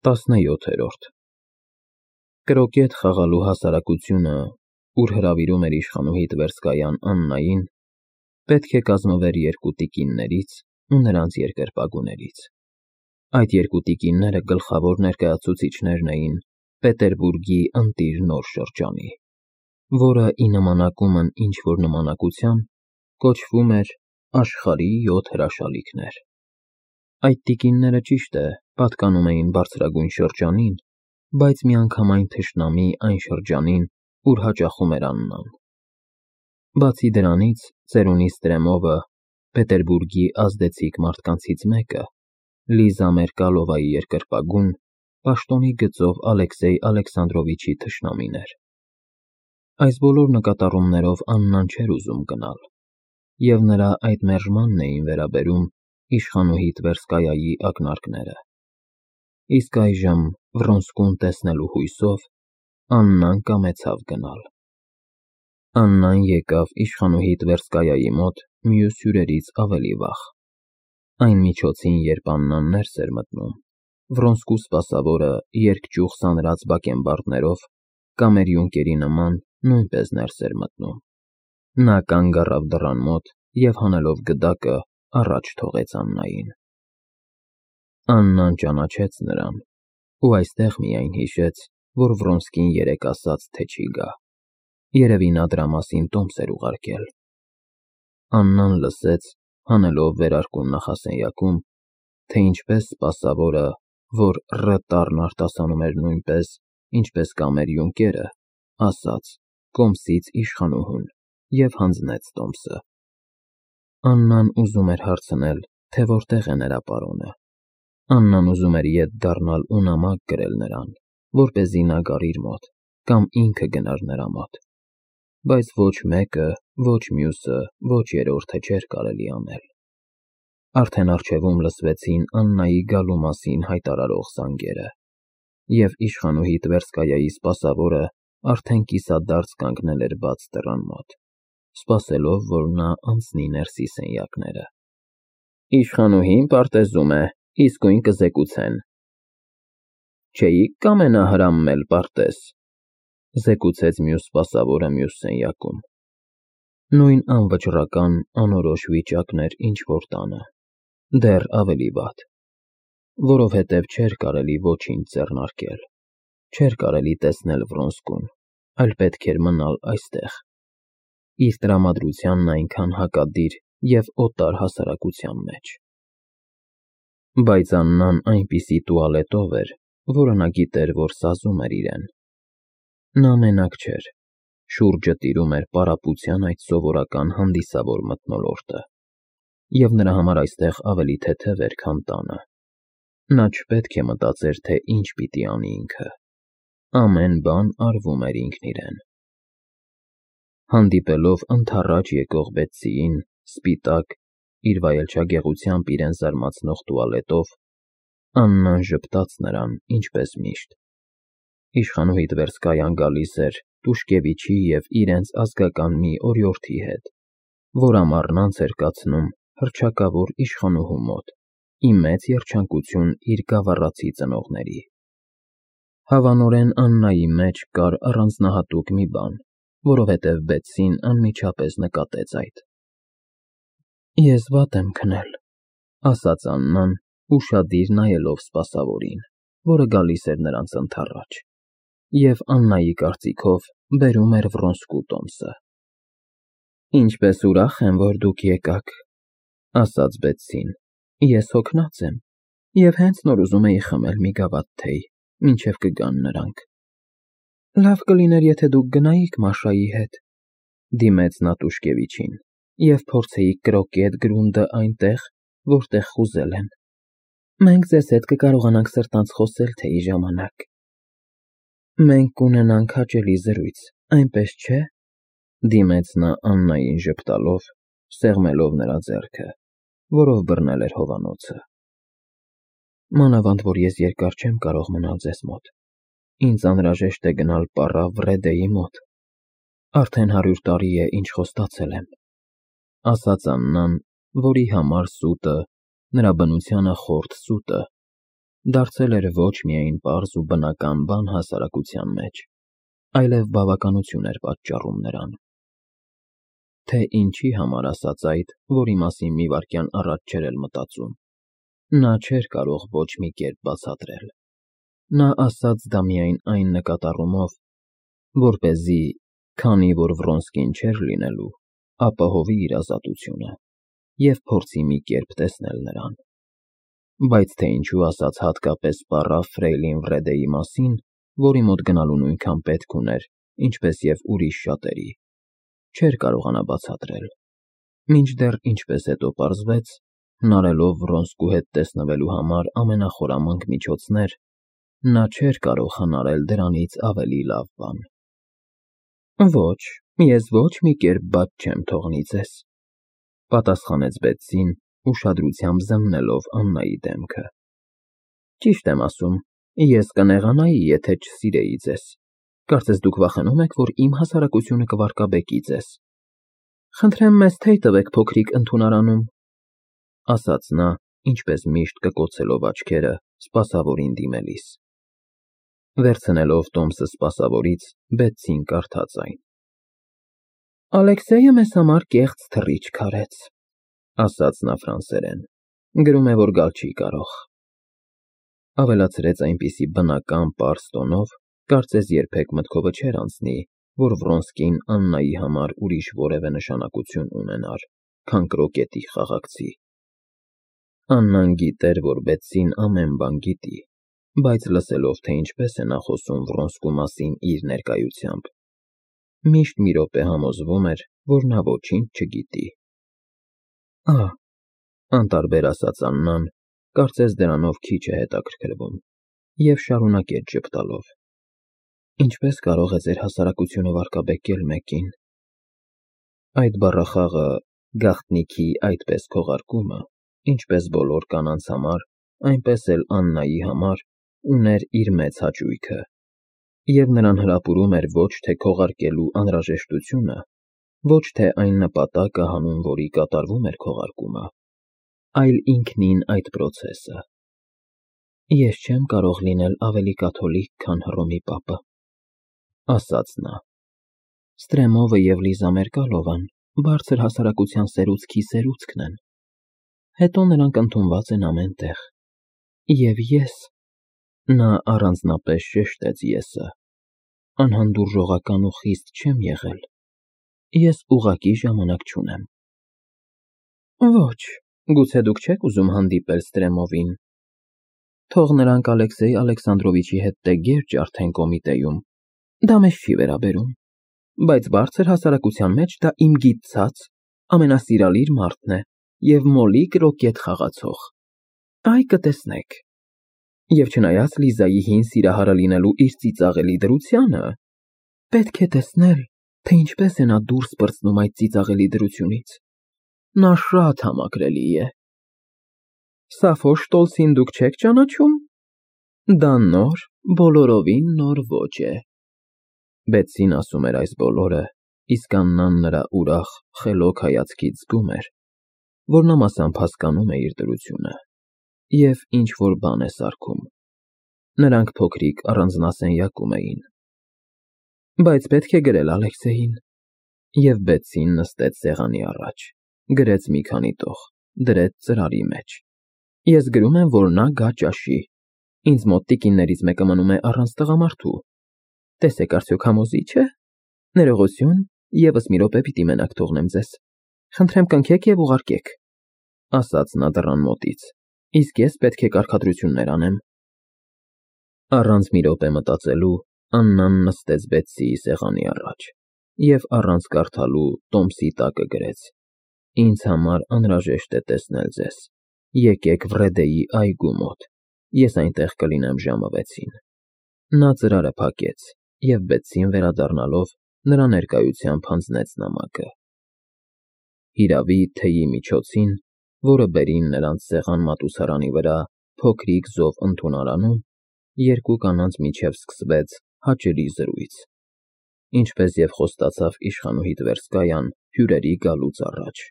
17-րդ Կրոկետ խաղալու հասարակությունը, ուր հրավիրում էր իշխանուհի Տվերսկայան Աննային, պետք է կազմվեր երկու տիկիններից ու նրանց երկրպագուներից։ Այդ երկու տիկինները գլխավոր ներկայացուցիչներն էին Պետերբուրգի ընտիր նոր շրջանի, որը ի նմանակումն ինչ-որ նմանակության կոչվում էր Աշխարհի 7 հրաշալիքներ։ Այդ տիկինները, ճիշտ է, պատկանում էին բարձրագույն շրջանին, բայց միանգամայն թշնամի այն շրջանին, ուր հաճախում էր Աննան։ Բացի դրանից, ծերունի Ստրեմովը, Պետերբուրգի ազդեցիկ մարդկանցից մեկը, Լիզա Մերկալովայի երկրպագուն, պաշտոնի գծով Ալեքսեյ Ալեքսանդրովիչի թշնամին էր։ Այս բոլոր նկատառումներով Աննան չէր ուզում գնալ, և նրա այդ մերժմանն էին վերաբերում իշխանուհի Տվերսկայայի ակնարկները։ Իսկ այժմ, Վրոնսկուն տեսնելու հույսով, Աննան կամեցավ գնալ։ Աննան եկավ իշխանուհի Տվերսկայայի մոտ մյուս հյուրերից ավելի վաղ։ Այն միջոցին, երբ Աննան ներս էր մտնում, Վրոնսկու սպասավորը երկճյուղ սանրած բակենբարդներով, կամերյունկերի նման, նույնպես ներս էր մտնում։ Նա կանգ առավ դռան մոտ և հանելով գդակը, առաջ թողեց Աննային։ Աննան ճանաչեց նրան ու այստեղ միայն հիշեց, որ Վրոնսկին երեկ ասաց, թե չի գա։ Երևի նա դրա մասին տոմս էր ուղարկել։ Աննան լսեց, հանելով վերարկուն նախասենյակում, թե ինչպես սպասավորը, որ Ռ տառն արտասանում էր նույնպես, ինչպես կամերյունկերը, ասաց կոմսից իշխանուհուն և հանձնեց տոմսը։ Աննան ուզում էր հարցնել, թե որտեղ է նրա պարոնը։ Աննան ուզում էր ետ դառնալ ու նամակ գրել նրան, որպեսզի նա գար իր մոտ, կամ ինքը գնար նրա մոտ, բայց ոչ մեկը, ոչ մյուսը, ոչ երրորդը չէր կարելի անել։ Արդեն առջևում լսվեցին Աննայի գալու մասին հայտարարող զանգերը, և իշխանուհի Տվերսկայայի սպասավորը արդեն կիսադարձ կանգնել էր բաց դռան մոտ, սպասելով, որ նա անցնի ներսի սենյակները։ Իշխանուհին պարտեզում է, իսկույն կզեկուցեն։ Չէի՞ք կամենա հրամել պարտեզ, զեկուցեց մյուս սպասավորը մյուս սենյակում։ Նույն անվճռական, անորոշ վիճակն էր ինչ-որ տանը, դեռ ավելի վատ, որովհետև չէր կարելի ոչինչ ձեռնարկել, չէր կարելի տեսնել Վրոնսկուն, այլ պետք էր մնալ այստեղ, իր տրամադրությանն այնքան հակադիր և օտար հասարակության մեջ։ Բայց Աննան այնպիսի տուալետով էր, որը նա գիտեր, որ սազում էր իրեն։ Նա մենակ չէր, շուրջը տիրում էր պարապության այդ սովորական հանդիսավոր մթնոլորտը, և նրա համար այստեղ ավելի թեթև էր, քան տանը։ Նա չպետք է մտածեր, թե ինչ պիտի անի ինքը։ Ամեն բան արվում էր ինքն իրեն։ Հանդիպելով ընդառաջ եկող Բետսիին, սպիտակ, իր վայելչագեղությամբ իրեն զարմացնող տուալետով, Աննան ժպտաց նրան, ինչպես միշտ։ Իշխանուհի Տվերսկայան գալիս էր Տուշկևիչի և իրենց ազգական մի օրիորդի հետ, որ ամառնանց էր կացնում հռչակավոր իշխանուհու մոտ, ի մեծ երջանկություն իր գավառացի ծնողների։ Հավանորեն Աննայի մեջ կար առանձնահատուկ մի բան, որովհետև Բետսին անմիջապես նկատեց այդ։ Ես վատ եմ քնել, ասաց Աննան, ուշադիր նայելով սպասավորին, որը գալիս էր նրանց ընդառաջ, և Աննայի կարծիքով բերում էր Վրոնսկու տոմսը։ Ինչպես ուրախ եմ, որ դուք եկաք, ասաց Բետսին, ես հոգնած եմ և հենց նոր ուզում էի խմել մի գավաթ թեյ, մինչև կգան նրանք։ Լավ կլիներ, եթե դուք գնայիք Մաշայի հետ, դիմեց նա Տուշկևիչին, և փորձեիք կրոկետ գրունդը այնտեղ, որտեղ խուզել են։ Մենք ձեզ հետ կկարողանանք սրտանց խոսել թեյի ժամանակ։ Մենք կունենանք հաճելի զրույց, այնպես չէ՞, դիմեց նա Աննային ժպտալով, սեղմելով նրա ձեռքը, որով բռնել էր հովանոցը։ Մանավանդ որ ես երկար չեմ կարող մնալ ձեզ մոտ, ինձ անհրաժեշտ է գնալ պառավ Վրեդեի մոտ, արդեն 100 տարի է, ինչ խոստացել եմ, ասաց Աննան, որի համար սուտը, նրա բնությանը խորթ սուտը, դարձել էր ոչ միայն պարզ ու բնական բան հասարակության մեջ, այլև բավականություն էր պատճառում նրան։ Թե ինչի համար ասաց այդ, որի մասին մի վայրկյան առաջ չէր էլ մտածում, նա չէր կարող ոչ մի կերպ բացատրել։ Նա ասաց դա միայն այն նկատառումով, որպեսզի, քանի որ Վրոնսկին չէր լինելու, ապահովի իր ազատությունը և փորձի մի կերպ տեսնել նրան։ Բայց թե ինչու ասաց հատկապես պառավ Ֆրեյլին Վրեդեի մասին, որի մոտ գնալու նույնքան պետք ուներ, ինչպես և ուրիշ շատերի, չէր կարողանա բացատրել, մինչդեռ ինչպես հետո պարզվեց, հնարելով Վրոնսկու հետ տեսնվելու համար ամենախորամանկ միջոցներ, նա չէր կարող հնարել դրանից ավելի լավ բան։ Ոչ, ես ոչ մի կերպ բաց չեմ թողնի ձեզ, պատասխանեց Բետսին, ուշադրությամբ զննելով Աննայի դեմքը։ Ճիշտ եմ ասում, ես կնեղանայի, եթե չսիրեի ձեզ։ Կարծես դուք վախենում եք, որ իմ հասարակությունը կվարկաբեկի ձեզ։ Խնդրեմ մեզ թեյ տվեք փոքրիկ ընդունարանում, ասաց նա, ինչպես միշտ կկոցելով աչքերը սպասավորին դիմելիս։ Վերցնելով տոմսը սպասավորից, Բետսին կարդաց այն։ Ալեքսեյը մեզ համար կեղծ թռիչք արեց, ասաց նա ֆրանսերեն, գրում է, որ գալ չի կարող։ Ավելացրեց այնպիսի բնական պարզ տոնով, կարծես երբեք մտքովը չէր անցնի, որ Վրոնսկին Աննայի համար ուրիշ որևէ նշանակություն ունենար, քան կրոկետի խաղաղցի։ Աննան գիտեր, որ Բետսին ամեն բան գիտի, բայց լսելով, թե ինչպես է նա խոսում Վրոնսկու մասին իր ներկայությամբ, միշտ մի րոպե համոզվում էր, որ նա ոչինչ չգիտի։ Անտարբեր ասաց Աննան, կարծես դրանով քիչ է հետաքրքրվում, և շարունակեց ժպտալով. Ինչպես կարող է ձեր հասարակությունը վարկաբեկել մեկին։ Այդ բառախաղը, գաղտնիքի այդպես քողարկումը, ինչպես բոլոր կանանց համար, այնպես էլ Աննայի համար, ուներ իր մեծ հաճույքը, և նրան հրապուրում էր ոչ թե քողարկելու անհրաժեշտությունը, ոչ թե այն նպատակը, հանուն որի կատարվում էր քողարկումը, այլ ինքնին այդ պրոցեսը։ Ես չեմ կարող լինել ավելի կաթոլիկ, քան Հռոմի պապը, ասաց նա։ Ստրեմովը և Լիզա Մերկալովան բարձր հասարակության սերուցքի սերուցքն են։ Հետո նրանք ընդունված են ամեն տեղ։ Եվ ես, նա առանձնապես շեշտեց եսը, անհանդուրժողական ու խիստ չեմ եղել։ Ես ուղղակի ժամանակ չունեմ։ Ոչ, գուցե դուք չեք ուզում հանդիպել Ստրեմովին։ Թող նրանք Ալեքսեյ Ալեքսանդրովիչի հետ տեգեր ջարդեն կոմիտեում, դա մեզ չի վերաբերում, բայց բարձր հասարակության մեջ դա իմ գիտցած ամենասիրալիր մարդն է և մոլի կրոկետ խաղացող։ Այ կտեսնեք։ Եվ չնայած Լիզայի հին սիրահարը լինելու իր ծիծաղելի դրությանը, պետք է տեսնել, թե ինչպես է նա դուրս պրծնում այդ ծիծաղելի դրությունից։ Նա շատ համակրելի է։ Սաֆո Շտոլցին դուք չեք ճանաչում։ Դա նոր, բոլորովին նոր ոճ է։ Բետսին ասում էր այս բոլորը, իսկ Աննան նրա ուրախ, խելոք հայացքից զգում էր, որ նա մասամբ հասկանում է իր դրությունը և ինչ-որ բան է սարքում։ Նրանք փոքրիկ առանձնասենյակում էին։ Բայց պետք է գրել Ալեքսեյին։ Եվ Բետսին նստեց սեղանի առաջ, գրեց մի քանի տող, դրեց ծրարի մեջ։ Ես գրում եմ, որ նա գա ճաշի։ Ինձ մոտ տիկիններից մեկը մնում է առանց տղամարդու։ Տեսեք արդյոք համոզի՞չ է։ Ներողություն, ևս մի րոպե պիտի մենակ թողնեմ ձեզ։ Խնդրեմ կնքեք և ուղարկեք, ասաց նա դռան մոտից, իսկ ես պետք է կարգադրություններ անեմ։ Առանց մի րոպե մտածելու Աննան նստեց Բետսիի սեղանի առաջ և առանց կարդալու տոմսի տակը գրեց. Ինձ համար անհրաժեշտ է տեսնել ձեզ։ Եկեք Վրեդեի այգու մոտ։ Ես այնտեղ կլինեմ ժամը 6-ին։ Նա ծրարը փակեց և Բետսին վերադառնալով նրա ներկայությամբ հանձնեց նամակը։ Հիրավի, թեյի միջոցին, որը բերին նրանց սեղան մատուցարանի վրա փոքրիկ զով ընդունարանում, երկու կանանց միջև սկսվեց հաճելի զրույց, ինչպես և խոստացավ իշխանուհի Տվերսկայան հյուրերի գալուց առաջ։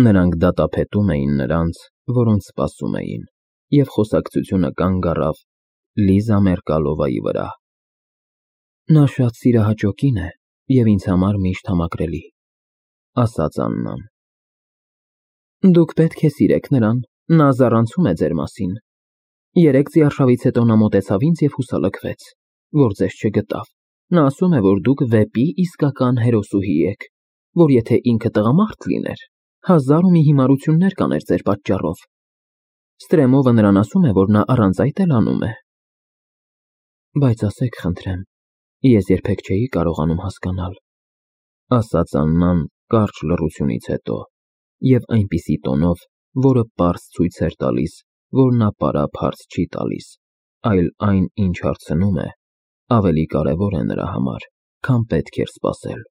Նրանք դատապետում էին նրանց, որոնց սպասում էին, և խոսակցությունը կանգ առավ Լիզա Մերկալովայի վրա։ Նա շատ սիրահաճո կին է և ինձ համար միշտ համակրելի, ասաց Աննան։ Դուք պետք է սիրեք նրան, նա զառանցում է ձեր մասին։ Երեկ ձիարշավից հետո նա մոտեցավ ինձ և հուսալքվեց, որ ձեզ չգտավ։ Նա ասում է, որ դուք վեպի իսկական հերոսուհի եք, որ եթե ինքը տղամարդ լիներ, հազար ու մի հիմարություններ կաներ ձեր պատճառով։ Ստրեմովը նրան ասում է, որ նա առանց այդ էլ անում է։ Բայց ասեք, խնդրեմ, ես երբեք չէի կարողանում հասկանալ, ասաց Աննան կարճ լռությունից հետո, և այնպիսի տոնով, որը պարզ ցույց էր տալիս, որ նա պարապ հարց չի տալիս, այլ այն, ինչ հարցնում է, ավելի կարևոր է նրա համար, քան պետք էր սպասել։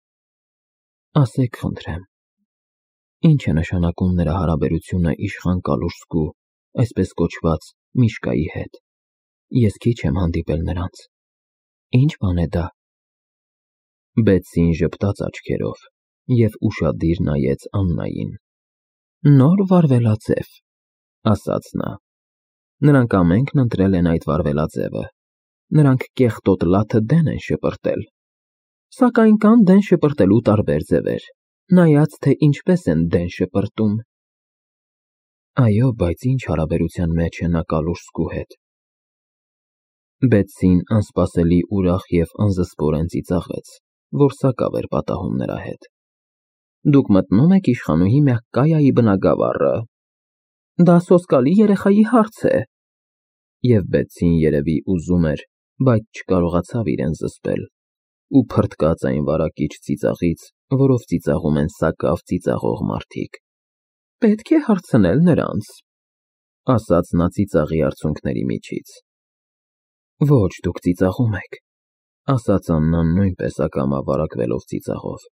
Ասեք, խնդրեմ, ինչ է նշանակում նրա հարաբերությունը իշխան Կալուշսկու, այսպես կոչված, Միշկայի հետ։ Ես քիչ եմ հանդիպել նրանց։ Ինչ բան է դա։ Բեցսին ժպտաց աչքերով և ուշադիր նայեց Աննային։ Նոր վարվելաձև, ասաց նա։ Նրանք ամենքն ընտրել են այդ վարվելաձևը։ Նրանք կեղտոտ լաթը դեն են շպրտել։ Սակայն կան դեն շպրտելու տարբեր ձևեր, նայած թե ինչպես են դեն շպրտում։ Այո, բայց ինչ հարաբերության մեջ է նա Կալուշսկու հետ։ Բեցսին անսպասելի ուրախ և անզսպորեն ծիծաղեց, որ սակավ էր պատահում նրա հետ։ Դուք մտնում եք իշխանուհի Մեղկայայի բնագավառը։ Դա սոսկալի երեխայի հարց է։ Եվ Բեցսին երևի ուզում էր, բայց չկարողացավ իրեն զսպել ու փրթկաց այն վարակիչ ծիծաղից, որով ծիծաղում են սակավ ծիծաղող մարդիկ։ Պետք է հարցնել նրանց, ասաց նա ծիծաղի արցունքների միջից։ Ոչ, դուք ծիծաղում եք, ասաց Աննան նույնպես ակամա վարակվելով ծիծաղով,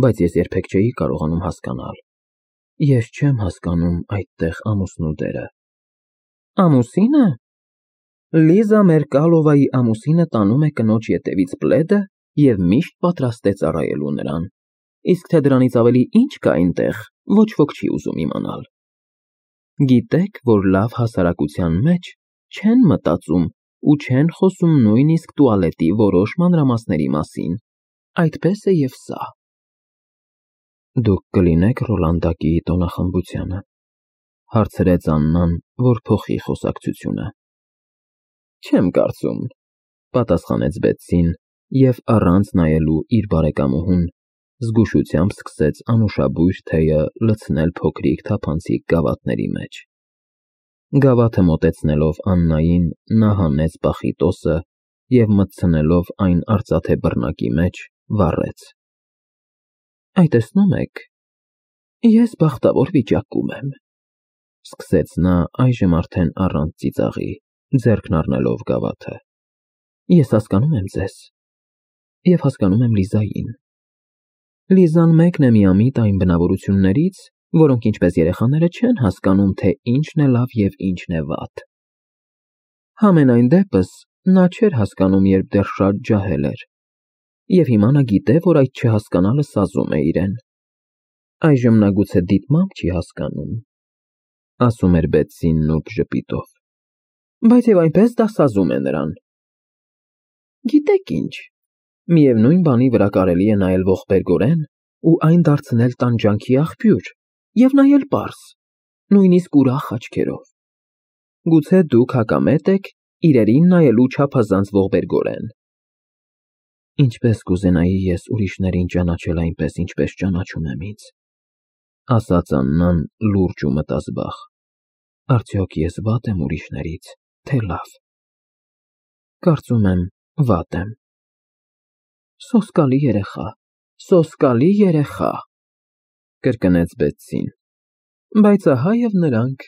բայց ես երբեք չէի կարողանում հասկանալ։ Ես չեմ հասկանում այդտեղ ամուսնու դերը։ Ամուսինը։ Լիզա Մերկալովայի ամուսինը տանում է կնոջ ետևից պլեդը և միշտ պատրաստ է ծառայելու նրան։ Իսկ թե դրանից ավելի ինչ կա այնտեղ, ոչ ոք չի ուզում իմանալ։ Գիտեք, որ լավ հասարակության մեջ չեն մտածում ու չեն խոսում նույնիսկ տուալետի որոշ մանրամասների մասին, այդպես է և սա։ Դուք կլինեք Ռոլանդակիի տոնախմբությանը, հարցրեց Աննան, որ փոխի խոսակցությունը։ Չեմ կարծում, պատասխանեց Բեցսին և առանց նայելու իր բարեկամուհուն, զգուշությամբ սկսեց անուշաբույր թեյը լցնել փոքրիկ թափանցիկ գավաթների մեջ։ Գավաթը մոտեցնելով Աննային, նա հանեց պախիտոսը և մտցնելով այն արծաթե բռնակի մեջ, վառեց։ Այ տեսնում եք, ես բախտավոր վիճակում եմ, սկսեց նա այժմ արդեն առանց ծիծաղի, ձեռքն առնելով գավաթը։ Ես հասկանում եմ ձեզ և հասկանում եմ Լիզային։ Լիզան մեկն է միամիտ այն բնավորություններից, որոնք ինչպես երեխաները չեն հասկանում, թե ինչն է լավ և ինչն է վատ։ Համենայն դեպս, նա չէր հասկանում, երբ դեռ շատ ջահել էր, և հիմա նա գիտե, որ այդ չհասկանալը սազում է իրեն։ Այժմ նա գուցե դիտմամբ չի հասկանում, ասում էր Բեցսին նուրբ ժպիտով, բայց և այնպես դա սազում է նրան։ Գիտեք ինչ, միևնույն բանի վրա կարելի է նայել ողբերգորեն ու այն դարձնել տանջանքի աղբյուր և նայել պարզ, նույնիսկ ուրախ աչքերով։ Գուցե դուք հակամետ եք իրերին նայելու չափազանց ողբերգորեն։ Ինչպես կուզենայի ես ուրիշներին ճանաչել այնպես, ինչպես ճանաչում եմ ինձ, ասաց Աննան լուրջ ու մտազբաղ։ Արդյոք ես վատ եմ ուրիշներից, թե լավ։ Կարծում եմ, վատ եմ։ Սոսկալի երեխա, կրկնեց Բեցսին, բայց ահա և նրանք